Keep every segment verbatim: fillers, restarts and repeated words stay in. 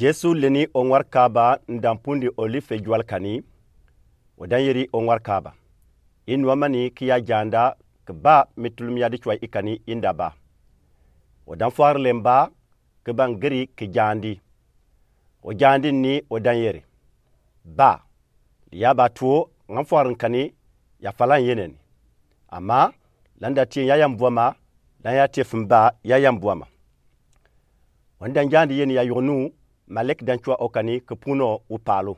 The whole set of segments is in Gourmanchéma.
Yesu leni oŋwarkaba nda mpundi Olife jwal kani, odan yeri oŋwarkaba: I nuamani ki ya janda, ke ba mi tulum yadi cwa i kani i nda ba. Odan fɔri lɛ mba, ke ba ngeri ke jandi. Ojandi ni odan yeri: Ba, li ya ba tuo, ŋa fɔri kani, ya fala yeneni. Ama, la nda tie ya yambuama, la ya tie fumba ya yambuama. Odan jandi yeni ya yugunu, malek dan cwa okani ke puno upalu.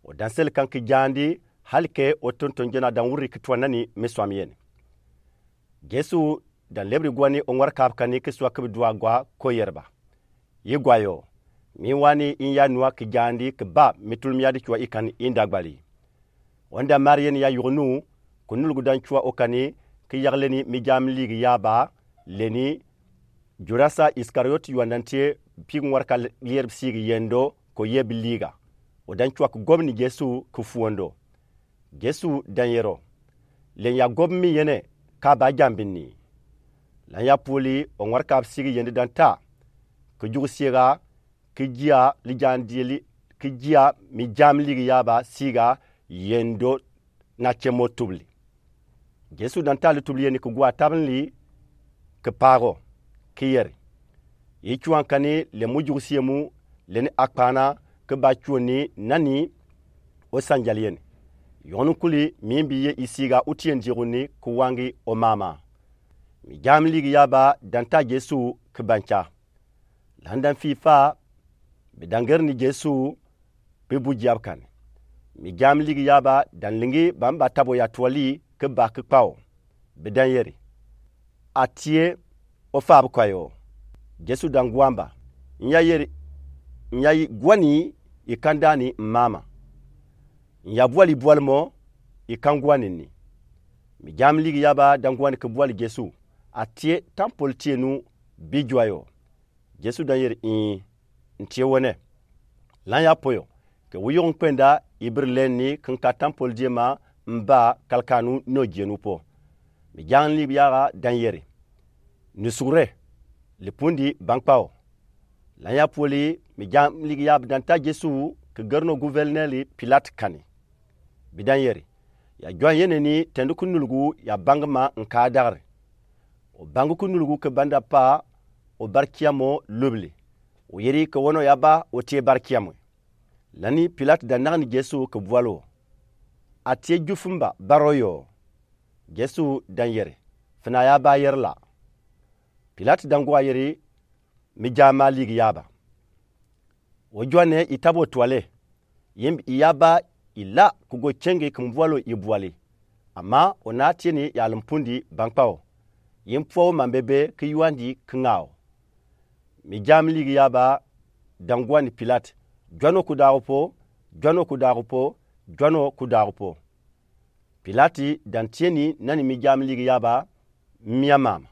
Odan seli kan ke jandi, hali ke otonton jona dan wuri ke twa nani mi swam yeni. Yesu dan lebri gwani oŋwarkab kani ke swa ke bi dua gwa ko yerba: I gwa yo, mi wani i ya nua ke jandi ke ba mi tulum yadi cwa i kani i nda gbali. Odan mari yeni ya yugunu, ke nulgu dan cwa okani ke yagle ni mi jam ligi yaba, leni Judasa Iskariot, yuan dan tie pi ŋwarka yer bi sigi yendo ko ye bi liga. Odan cwa ke gobni Yesu ke fuondo. Yesu dan yero: Len ya gobmi yene, ka ba jambi ni. Lan ya puli oŋwarkab sigi yende dan ta, ke jug siega, ke jia li jandi li, ke jia mi jam ligi yaba siega yendo na cemo tubli. Yesu dan ta li tubli yeni ke gua tabin li ke pago, ke yeri: I cwa kani le mu jug sie mu, leni akpana ke ba cwoni nani osanjal yeni. Yɔni kuli mi mbi ye i siega uti yeni jiguni ke wangi omama. Mi jam ligi yaba dan ta Yesu ke banca. Lan dan fii fa, bi dan ger ni Yesu, bi bu jiab kani. Mi jam ligi yaba dan lingi ba mba tabo ya twali ke ba ke kpao. Bi dan yeri: A tie, ofa bi kwa yo. Yesu dan gwa mba: N ya yeri, n ya gwani i kan dani mama. N ya bwali bwal mo, i kan gwani ni. Mi jam ligi yaba dan gwani ke bwali Yesu: A tie, tampol tie nu, bi jwa yo. Yesu dan yeri: Ii, n tie wene. Lan ya po yo, ke wu yug n kpenda, i biri leni ke n ka tampol die ma, mba kalkanu no jenu po. Mi jam ligi yaba dan yeri: Ni sugure, li pundi bankpao. Lan ya puli mi jam ligi yaba dan ta Yesu ke gerno guverneli Pilat kani. Bi dan yeri: Ya jwa yeneni tendi ku nulgu ya bangi ma nka dagri. Obangi ku nulgu ke banda pa obarkiamo lubli. Oyeri ke wono ya ba otie barkiamwe. Lani Pilat dan nagani Yesu ke bwalo: A tie jufumba baro yo. Yesu dan yeri: Fina ya ba yeri la. Pilat dan gwa yeri: Mi jama ligi yaba. Ojwane i tabo twale. Yimbi i ya ba i la ke go cenge ke mbwalo i bwali. Ama ona tieni ya lumpundi bankpao. Yimbi pwao mambebe ke yuandi ke ŋao. Mi jam ligi yaba dan gwani Pilat: Jwano ku dagu po, jwano ku dagu po, jwano ku dagu po. Pilat dan tieni nani mi jam ligi yaba: Mia mama.